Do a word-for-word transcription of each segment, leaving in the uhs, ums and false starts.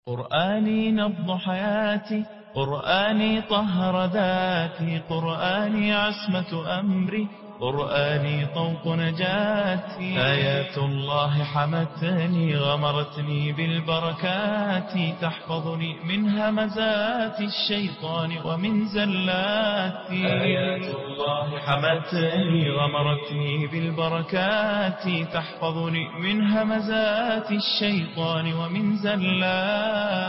قرآني نبض حياتي، قرآني طهر ذاتي، قرآني عصمة أمري، قرآني طوق نجاتي. آيات الله حمتني غمرتني بالبركات، تحفظني من همزات الشيطان ومن زلاتي. آيات الله حمتني غمرتني بالبركات، تحفظني من همزات الشيطان ومن زلاتي.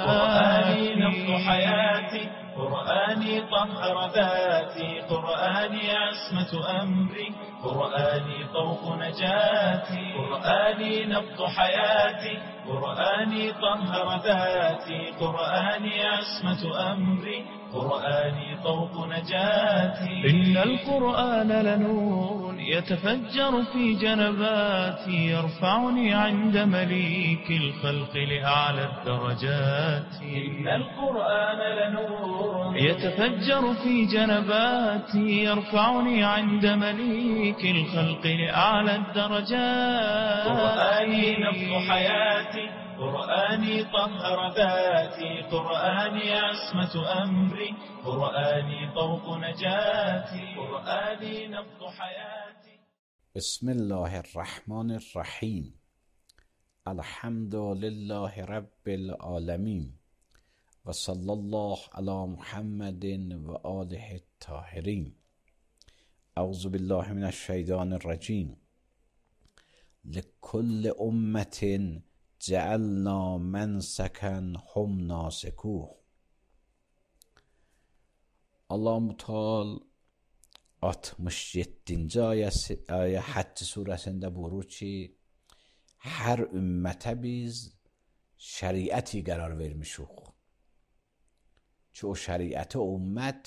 قرآني نبض حياتي، قرآني طهر ذاتي، قرآني عصمة أمري، قرآني طوق نجاتي. قرآني نبض حياتي، قرآني طهر ذاتي، قرآني عصمة أمري، قرآني طوق نجاتي. إن القرآن لنور يتفجر في جنباتي، يرفعني عند مليك الخلق لأعلى الدرجات. إن القرآن لنور يتفجر في جنباتي، يرفعني عند مليك الخلق لأعلى الدرجات. قرآني نبض حياتي، قرآني طهر ذاتي، قرآني عصمة أمري، قرآني طوق نجاتي. قرآني نبض حياتي. بسم الله الرحمن الرحیم. الحمد لله رب العالمین و صلی الله علی محمد و آله الطاهرین. اعوذ بالله من الشیطان الرجیم. لکل امة جعلنا منسکا هم ناسکوه. Allah-u Teala altmış yeddinci ayəsi, ayə Həcc surəsində buyurur ki, hər ümmətə biz şəriəti qərar vermişik ki, o şəriəti o ümmət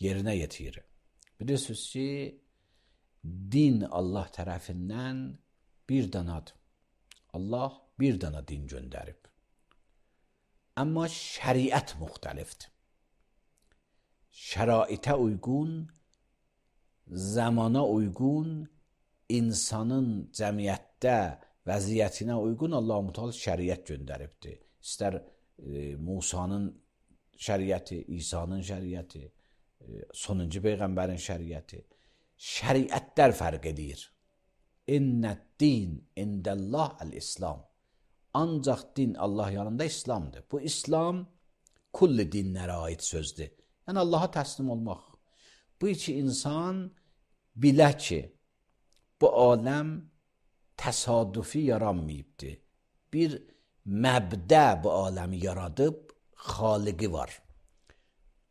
yerinə yetirir. Bilirsiniz ki, din Allah tərəfindən bir danadır. Allah bir dana din göndərib. Amma şəriət müxtəlifdir. Şəraitə uyğun, zamana uyğun, insanın cəmiyyətdə vəziyyətinə uyğun Allah-u Teala şəriət göndəribdir. İstər e, Musanın şəriəti, İsa'nın şəriəti, e, sonuncu Peyğəmbərin şəriəti. Şəriətlər fərq edir. İnnəd-din indəllah əl-İslam. Ancaq din Allah yanında İslamdır. Bu İslam kulli dinlərə aid sözdür. Yəni Allaha təslim olmaq. Bu iki insan bilə ki, bu aləm təsadüfi yaranmayıbdır. Bir məbdə bu aləmi yaradıb, xaliqi var.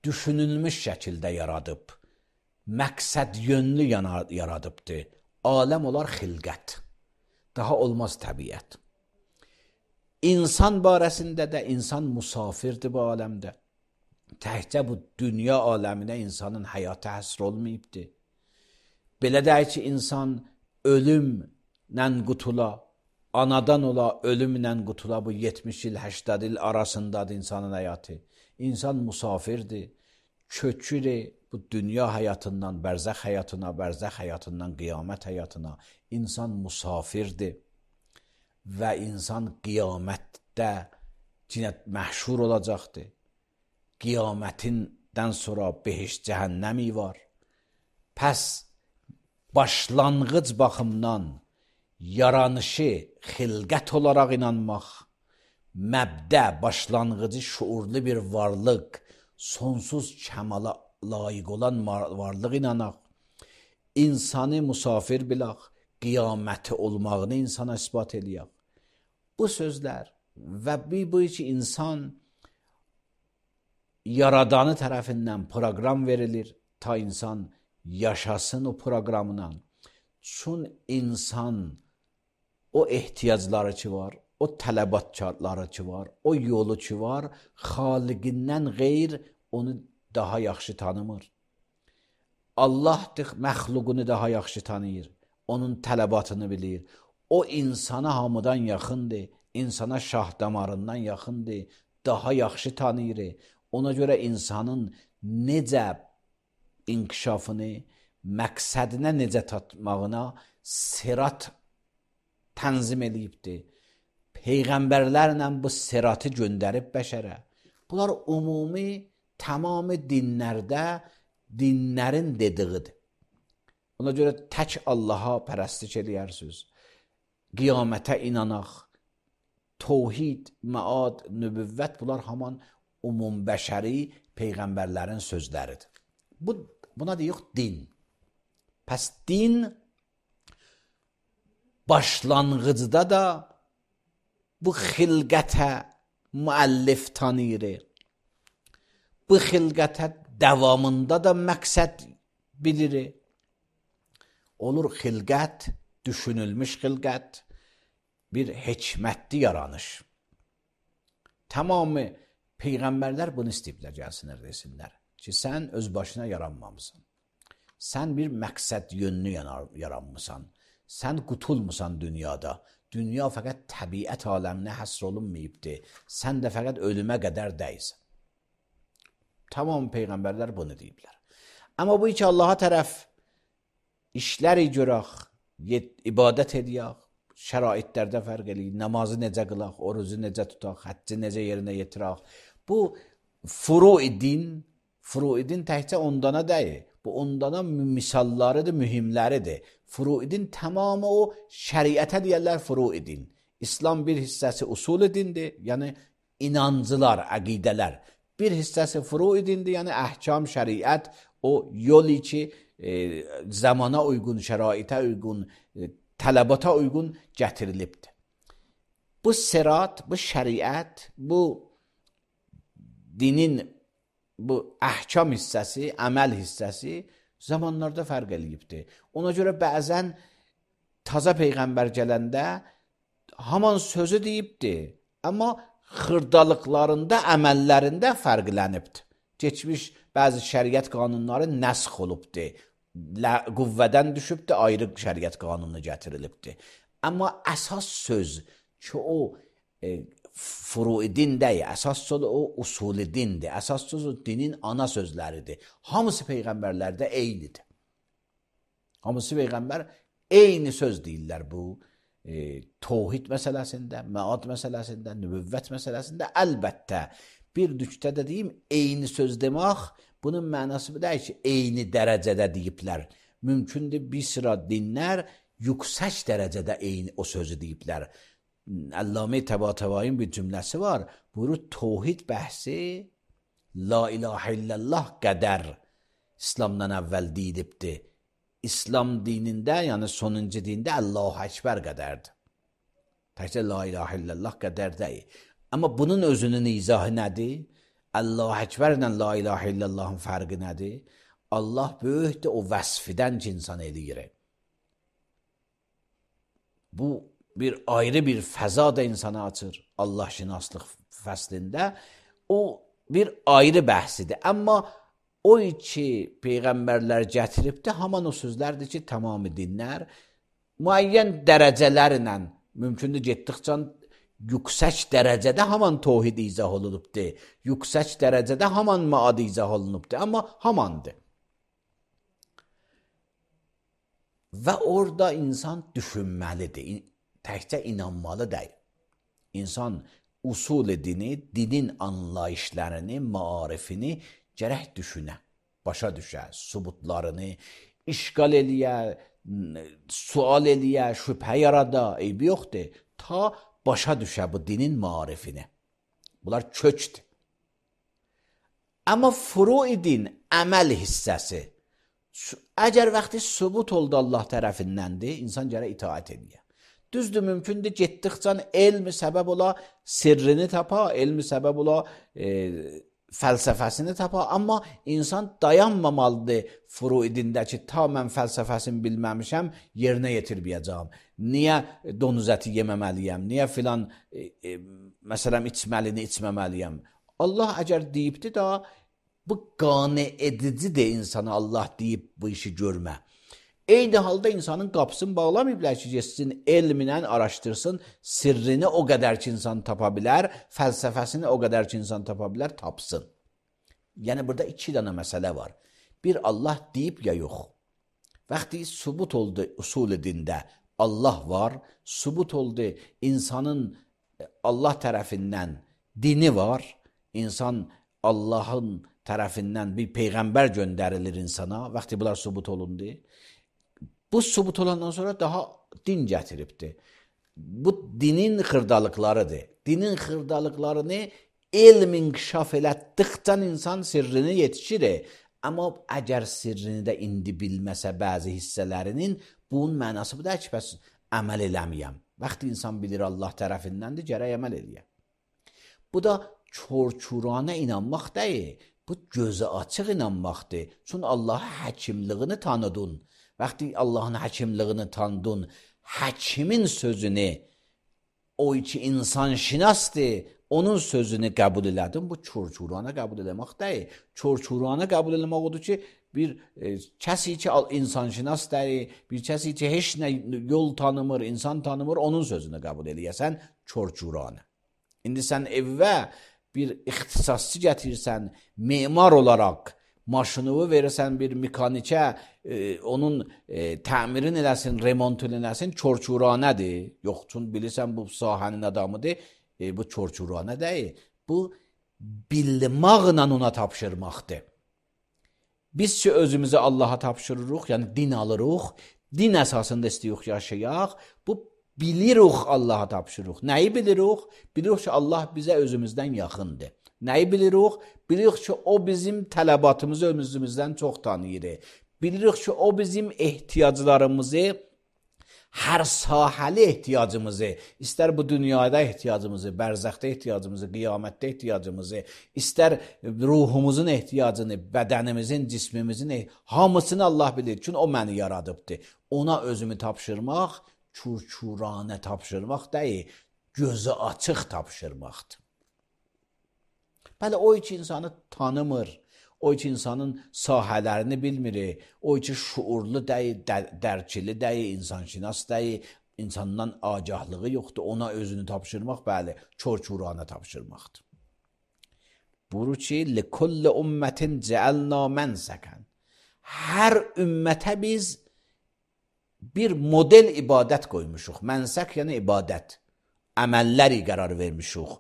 Düşünülmüş şəkildə yaradıb, məqsəd yönlü yaradıbdır. Aləm olar xilqət. Daha olmaz təbiət. İnsan barəsində də insan musafirdir bu aləmdə. Təkcə bu dünya aləminə insanın həyatı həsr olmayıbdır. Belə deyək ki, insan ölümlə qutula, anadan ola, ölümlə qutula, bu yetmiş il, səksən il arasındadır insanın həyatı. İnsan musafirdir, köçür bu dünya həyatından bərzəx həyatına, bərzəx həyatından qiyamət həyatına. İnsan musafirdir və insan qiyamətdə yenə məhşur olacaqdır. Qiyamətindən sonra behişt cəhənnəmi var. Pəs başlanğıc baxımdan yaranışı xilqət olaraq inanmaq, məbdə, başlanğıcı şuurlu bir varlıq, sonsuz kəmala layiq olan varlıq inanaq, insanı musafir bilaq, qiyaməti olmağını insana isbat eləyək. Bu sözlər və bu ki, insan Yaradanı tərəfindən proqram verilir, ta insan yaşasın o proqramla. Çün insan o ehtiyacları ki var, o tələbatları ki var, o yolu ki var, xaliqindən qeyr onu daha yaxşı tanımır. Allahdır, məxluqunu daha yaxşı tanıyır, onun tələbatını bilir. O insana hamıdan yaxındır, insana şah damarından yaxındır, daha yaxşı tanıyır. Ona görə insanın necə inkişafını, məqsədinə necə tatmağına sirat tənzim eləyibdir. peyğəmbərlərlə bu siratı göndərib bəşərə. Bunlar ümumi tamamı dinlərdə dinlərin dediğidir. Ona görə tək Allaha pərəstiş edərsiniz. Qiyamətə inanaq, tövhid, məad, nübüvvət bunlar haman umum bəşəri peyğəmbərlərin sözləridir. Bu, buna deyirik din. Pəs din başlanğıcda da bu xilqətə müəllif tanıyır. Bu xilqətə davamında da məqsəd bilir. Olur xilqət, düşünülmüş xilqət, bir hikmətli yaranış. Tamamı peyğəmbərlər bunu istəyiblər, gəlsinlər, desinlər ki, sən öz başına yaranmamısan. Sən bir məqsəd yönlü yaranmısan. Sən qutulmusan dünyada. Dünya fəqət təbiət aləminə həsr olunmayıbdır. Sən də fəqət ölümə qədər dəysən. Tamam peyğəmbərlər bunu deyiblər. Amma bu iki Allaha tərəf işləri görək, ibadət edək, şəraitlərdə fərq eləyik, namazı necə qılaq, orucu necə tutaq, həcci necə yerinə yetirək. Bu furu-i din, furu-i din təkcə ondana deyil. Bu ondana misallarıdır, mühimləridir. Furu-i din tamamı o şəriətə deyərlər furu-i din. İslam bir hissəsi usul-i dindir, yəni inancılar, əqidələr. Bir hissəsi furu-i dindir, yəni əhkam, şəriət, o yol ki, e, zamana uyğun, şəraitə uyğun, e, tələbata uyğun gətirilibdir. Bu sirat, bu şəriət, bu dinin bu əhkam hissəsi, əməl hissəsi zamanlarda fərq eləyibdir. Ona görə bəzən taza peyğəmbər gələndə haman sözü deyibdir, amma xırdalıqlarında, əməllərində fərqlənibdir. Keçmiş bəzi şəriət qanunları nəsx olubdur, qüvvədən düşübdür, ayrı şəriət qanunu gətirilibdir. Amma əsas söz ki, o e, furu-i din deyil, əsas söz o usul-i dindir, əsas söz o dinin ana sözləridir. Hamısı peyğəmbərlərdə eynidir. Hamısı peyğəmbər eyni söz deyirlər bu e, tövhid məsələsində, məad məsələsində, nübüvvət məsələsində. Əlbəttə bir nüqtədə deyim, eyni söz demək, bunun mənası bu deyil ki, eyni dərəcədə deyiblər. Mümkündür bir sıra dinlər yüksək dərəcədə eyni o sözü deyiblər. Allame Təbatəvai'nin bir cümləsi var. Buyurur, tövhid bəhsi la ilahə illallah qədər İslamdan əvvəl deyilibdir. İslam dinində, yəni sonuncu dində Allahu Əkbər qədərdir. Təkcə la ilahə illallah qədər deyil. Amma bunun özünün izahı nədir? Allahu Əkbər ilə la ilahə illallahın fərqi nədir? Allah böyükdür, o vəsfidən ki, insan eləyir. Bu bir ayrı bir fəza da insana açır Allah şinaslıq fəslində. O bir ayrı bəhsidir. Amma o iki peyğəmbərlər gətiribdir, haman o sözlərdir ki, tamamı dinlər müəyyən dərəcələrlə mümkündür getdikcə yüksək dərəcədə haman tövhid izah olunubdur. Yüksək dərəcədə haman məad izah olunubdur. Amma hamandır. Və orada insan düşünməlidir. Təkcə inanmalı deyil. İnsan usul dini, dinin anlayışlarını, maarifini gərək düşünə, başa düşə, subutlarını işgal eləyə, sual eləyə, şübhə yarada, eybi yoxdur. Ta başa düşə bu dinin maarifini. Bunlar kökdür. Amma furu-i din, əməl hissəsi, əgər vaxtı subut oldu Allah tərəfindəndir, insan gərək itaat edir. Düzdür, mümkündür, getdikcə elmi səbəb ola, sirrini tapa, elmi səbəb ola, e, fəlsəfəsini tapa, amma insan dayanmamalıdır furu-idindəki, ta mən fəlsəfəsini bilməmişəm, yerinə yetirməyəcəm. Niyə donuz əti yeməməliyəm, niyə filan, e, e, məsələn, içməlini içməməliyəm. Allah əgər deyibdir da, bu qane edicidir insana Allah deyib bu işi görmə. Eyni halda insanın qapısını bağlamayıblar ki, geçsin, elminə araşdırsın, sirrini o qədər ki insan tapa bilər, fəlsəfəsini o qədər ki insan tapa bilər, tapsın. Yəni burada iki dənə məsələ var. Bir, Allah deyib ya yox. Vaxtı subut oldu usul dində Allah var, subut oldu insanın Allah tərəfindən dini var. İnsan Allahın tərəfindən bir peyğəmbər göndərilir insana. Vaxtı bunlar sübut olundu. Bu sübut olandan sonra daha din gətiribdi. Bu dinin xırdalıqlarıdır. Dinin xırdalıqlarını elm inkişaf elətdikcə insan sirrini yetişir. Amma əgər sirrini də indi bilməsə bəzi hissələrinin, bunun mənası bu da ki, bəs əməl eləməyəm. Vaxtı insan bilir Allah tərəfindəndir, gərək əməl eləyəm. Bu da çor-çurana inanmaq deyil. Bu gözü açıq inanmaqdır. Çünki Allahın həkimliyini tanıdın. Vaxtı Allahın həkimliyini tanıdın, həkimin sözünü, o ki insan şinasdır, onun sözünü qəbul elədin. Bu çor-çurana qəbul eləmək deyil. Çor-çurana qəbul eləmək odur ki, bir e, kəsi ki insan şinas deyil, bir kəsi ki heç nə yol tanımır, insan tanımır, onun sözünü qəbul eləyəsən çor-çurana. İndi sən evvə bir ixtisasçı gətirsən, memar olaraq maşınını verirsən bir mekanikə, e, onun e, təmirin eləsin, remontunu eləsin, çor-çuranədir. Yox, çünki bilirsən bu sahənin adamıdır, e, bu çor-çuranə deyil. Bu bilməklə ona tapşırmaqdır. Biz ki özümüzü Allaha tapşırırıq, yəni din alırıq, din əsasında istəyirik yaşayaq, bu bilirik Allaha tapşırırıq. Nəyi bilirik? Bilirik ki Allah bizə özümüzdən yaxındır. Nəyi bilirik? Bilirik ki o bizim tələbatımızı özümüzdən çox tanıyır. Bilirik ki o bizim ehtiyaclarımızı, hər sahəli ehtiyacımızı, istər bu dünyada ehtiyacımızı, bərzəxdə ehtiyacımızı, qiyamətdə ehtiyacımızı, istər ruhumuzun ehtiyacını, bədənimizin, cismimizin, hamısını Allah bilir. Çünki o məni yaradıbdır. Ona özümü tapşırmaq, çur-çuranə tapşırmaq deyil, gözü açıq tapşırmaqdır. Bəli, o iki insanı tanımır, o iki insanın sahələrini bilmir, o iki şuurlu deyil, dərkili deyil, insanşinas deyil, insandan agahlığı yoxdur, ona özünü tapşırmaq, bəli, çor-çuranə tapşırmaqdır. Buyurur ki, لِكُلِّ أُمَّةٍ جَعَلْنَا مَنْسَكًا Hər ümmətə biz bir model ibadət qoymuşuq. Mənsək yəni ibadət. Əməlləri qərar vermişuq.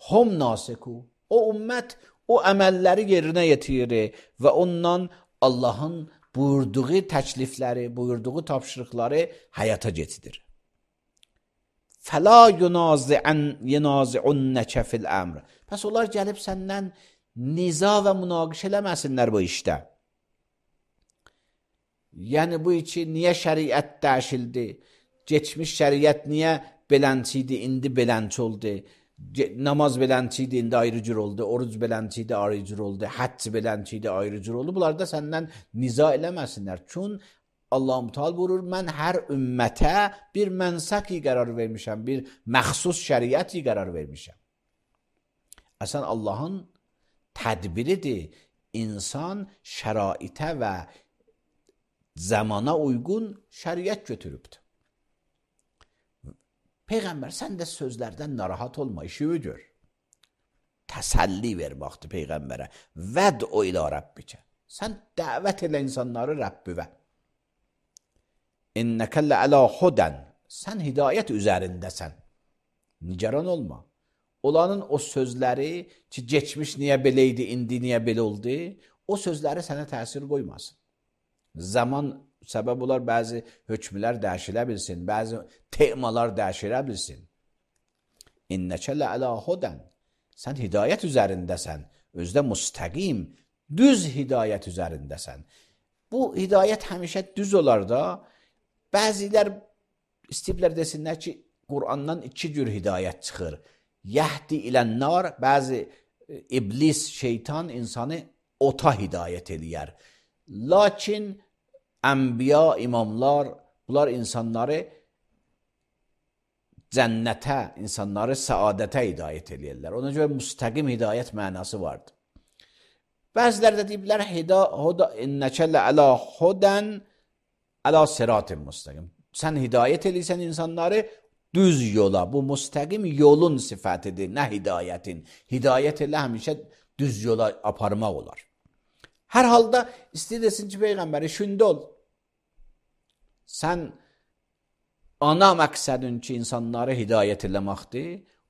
Hum nasiku. O ümmət o əməlləri yerinə yetirir və ondan Allahın buyurduğu təklifləri, buyurduğu tapşırıqları həyata keçirir. Fəla yunazi'unnəkə fil əmr. Pəs onlar gəlib səndən niza və münaqişə eləməsinlər bu işdə. Yəni bu iki niyə şəriət dəyişildi? Geçmiş şəriət niyə belənciydi, indi belənç oldu? Namaz belənciydi, indi ayrı cür oldu. Oruc belənciydi, ayrı cür oldu. Həcc belənciydi, ayrı cür oldu. Bunlar da səndən niza eləməsinlər. Çünki Allah-u Teala buyurur, mən hər ümmətə bir mənsəki qərar vermişəm, bir məxsus şəriəti qərar vermişəm. Əsən Allahın tədbiridir. İnsan şəraitə və zamana uyğun şəriət götürübdür. Peyğəmbər, sən də sözlərdən narahat olma, işi gör. Təsəlli ver vaxtı Peyğəmbərə. Vəd o ilə Rəbbikə. Sən dəvət elə insanları Rəbbivə. İnnəkə lə'ələ hudən. Sən hidayət üzərindəsən. Nigaran olma. Olanın o sözləri ki, geçmiş niyə beləydi, indi niyə belə oldu, o sözləri sənə təsir qoymasın. Zaman səbəb olar, bəzi hökmlər dəyişilə bilsin, bəzi temalar dəyişilə bilsin. İnnəkə lə'ələ hudən. Sən hidayət üzərindəsən, özdə müstəqim, düz hidayət üzərindəsən. Bu hidayət həmişə düz olar da, bəzilər istəyiblər desinlər ki, Qur'andan iki cür hidayət çıxır. Yəhdi ilənnar, bəzi iblis, şeytan insanı ota hidayət eləyər. Lakin ənbiya, imamlar, bunlar insanları cənnətə, insanları səadətə hidayət eləyirlər. Ona görə müstəqim hidayət mənası vardır. Bəzilər də deyiblər, innəkə lə'ələ hudən ələ siratin müstəqim. Sən hidayət eləyirsən insanları düz yola. Bu müstəqim yolun sifətidir, nə hidayətin. Hidayət elə həmişə düz yola aparmaq olar. Hər halda istəyirsin ki, Peyğəmbər, işində ol. Sən ana məqsədin ki, insanları hidayət eləməkdir.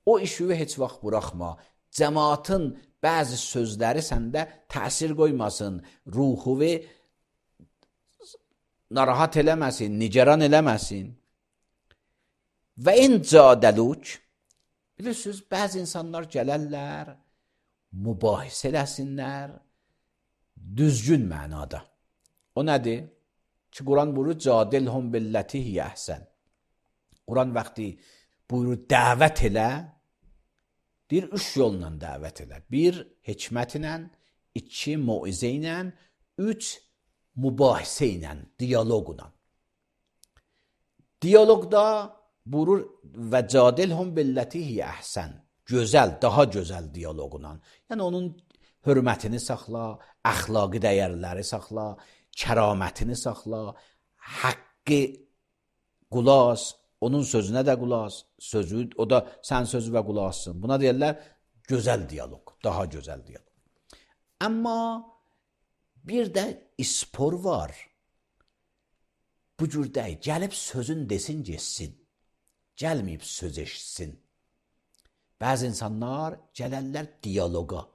O işi heç vaxt buraxma. Cəmaatın bəzi sözləri səndə təsir qoymasın, ruhuvi narahat eləməsin, nigaran eləməsin. Və in cadəluk, bilirsiniz, bəzi insanlar gələrlər, mübahisə eləsinlər, düzgün mənada. O nədir? Ki, Quran buyurur, cadilhum billəti hiyə əhsən. Quran vaxtı buyurur, dəvət elə, deyir, üç yolla dəvət elə. Bir, hikmət ilə, iki, muizə ilə, üç, mübahisə ilə, diyaloqla. Diyaloqda buyurur, və cadilhum billəti hiyə əhsən. Gözəl, daha gözəl diyaloqla. Yəni, onun hörmətini saxla, əxlaqi dəyərləri saxla, kəramətini saxla, haqqı qulaq, onun sözünə də qulaq, sözü, o da sən sözü və qulaqsın. Buna deyirlər, gözəl diyaloq, daha gözəl diyaloq. Amma bir də ispor var. Bu cür deyil, gəlib sözün desin, geçsin. Gəlməyib söz eşitsin. Bəzi insanlar gələrlər diyaloqa.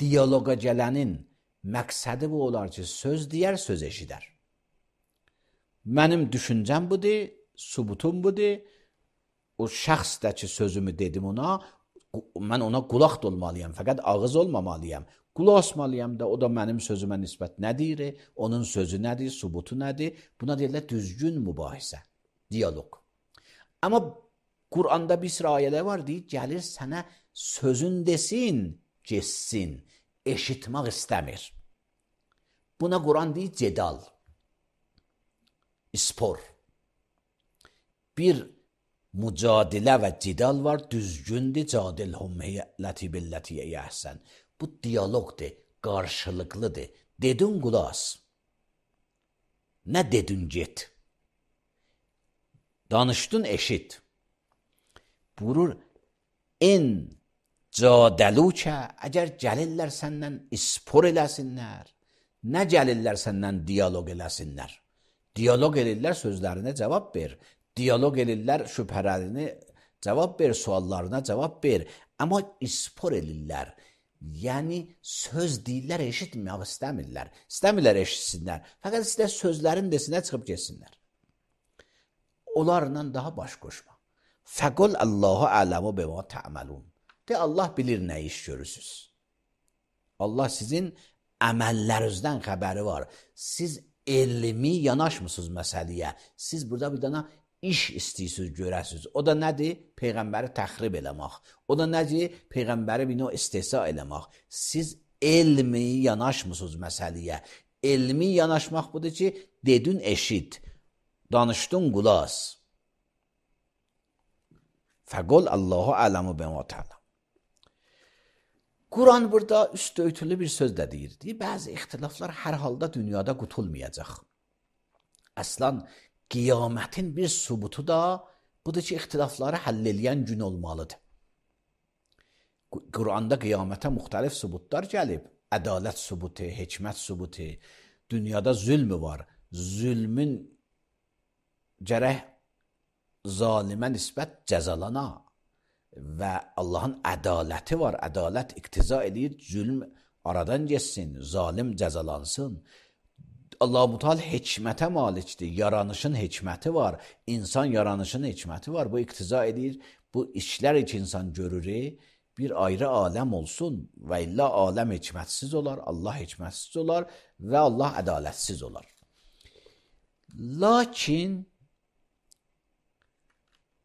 Diyaloqa gələnin məqsədi bu olar ki, söz deyər, söz eşidər. Mənim düşüncəm budur, subutum budur. O şəxs də ki, sözümü dedim ona, mən ona qulaq da olmalıyam, fəqət ağız olmamalıyam. Qulaq asmalıyam da, o da mənim sözümə nisbət nə deyir, onun sözü nədir, subutu nədir? Buna deyirlər düzgün mübahisə, diyaloq. Amma Quranda bir sıra ayələr var, deyir, gəlir sənə sözün desin, geçsin, eşitmək istəmir. Buna Quran deyir, cedal, ispor. Bir mücadilə və cidal var, düzgündür, cadilhum ləti billəti əhsən. Bu diyaloqdur, qarşılıqlıdır. Dedin qulaq, nə dedin get. Danışdın eşit. Buyurur, en cadəlukə, əgər gəlirlər səndən ispor eləsinlər, nə gəlirlər səndən diyaloq eləsinlər. Diyaloq elirlər, sözlərinə cavab ver. Diyaloq elirlər, şübhələrini cavab ver, suallarına cavab ver. Amma ispor elirlər. Yəni, söz deyirlər, eşitmək istəmirlər. İstəmirlər, eşitsinlər. Fəqət istər sözlərin desinə çıxıb geçsinlər. Onlarla daha baş qoşma. Fəqul Allahu ələmu bəmə tə'məlun. De, Allah bilir nə iş görürsünüz. Allah sizin əməllərinizdən xəbəri var. Siz elmi yanaşmısınız məsələyə. Siz burada bir dana iş istəyirsiniz, görəsiniz. O da nədir? Peyğəmbəri təxrib eləmək. O da nədir? Peyğəmbəri bir növ istehza eləmək. Siz elmi yanaşmısınız məsələyə. Elmi yanaşmaq budur ki, dedin eşit, danışdın qulaq. Fəqul Allahu ələmu bəmə tə'ləm. Quran burada üst örtülü bir söz də deyir. Deyir, bəzi ixtilaflar hər halda dünyada qutulmayacaq. Əslən, qiyamətin bir subutu da budur ki, ixtilafları həll eləyən gün olmalıdır. Quranda qiyamətə müxtəlif subutlar gəlib. Ədalət subutu, hikmət subutu. Dünyada zülmü var. Zülmün gərək zalimə nisbət cəzalana və Allahın ədaləti var. Ədalət iqtiza edir, zülm aradan geçsin, zalim cəzalansın. Allah-u Teala hikmətə malikdir, yaranışın hikməti var, insan yaranışın hikməti var. Bu iqtiza edir, bu işlər ki insan görür, bir ayrı aləm olsun və illa aləm hikmətsiz olar, Allah hikmətsiz olar və Allah ədalətsiz olar. Lakin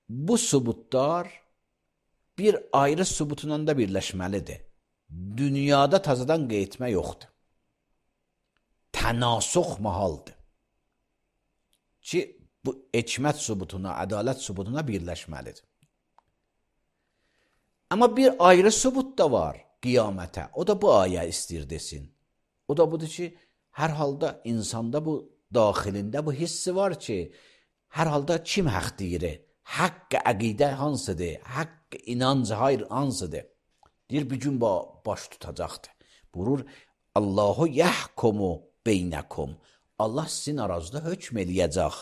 bu subutlar bir ayrı subutundan da birləşməlidir. Dünyada tazadan qeytmə yoxdur. Tənasuq mahaldır. Ki, bu hikmət subutuna, ədalət subutuna birləşməlidir. Amma bir ayrı subut da var qiyamətə. O da bu ayə istəyir desin. O da budur ki, hər halda insanda bu daxilində bu hissi var ki, hər halda kim haqq deyir? Haqq əqidə hansıdır? Haqq inancı hayır hansıdır? Deyir, bir gün baş tutacaqdır. Buyurur, Allahu yəhkumu beynəkum. Allah sizin arazda hökm eləyəcək.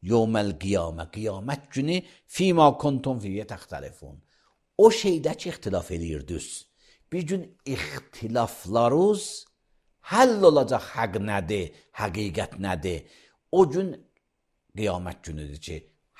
Yevməl qiyamə, qiyamət günü fīmā kuntum fiyyə təxtəlifun. o şeydəki ixtilaf edirdiniz. Bir gün ixtilaflarınız həll olacaq, haqq nədir, həqiqət nədir? O gün qiyamət günüdür ki,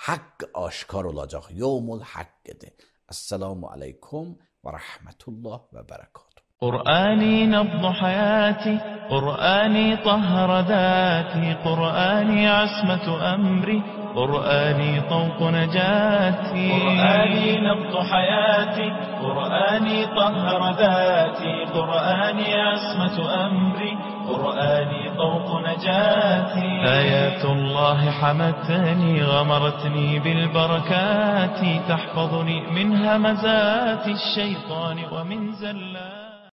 haqq aşkar olacaq, yevmul haqqdır. Esselamu aleykum ve rahmetullah ve berekatuhu. قرآني نبض حياتي، قرآني طهر ذاتي، قرآني عصمة أمري، قرآني طوق نجاتي. قرآني نبض حياتي، قرآني طهر ذاتي، قرآني عصمة أمري، قرآني طوق نجاتي. آيات الله حمتني، غمرتني بالبركات، تحفظني من همزات الشيطان ومن زلات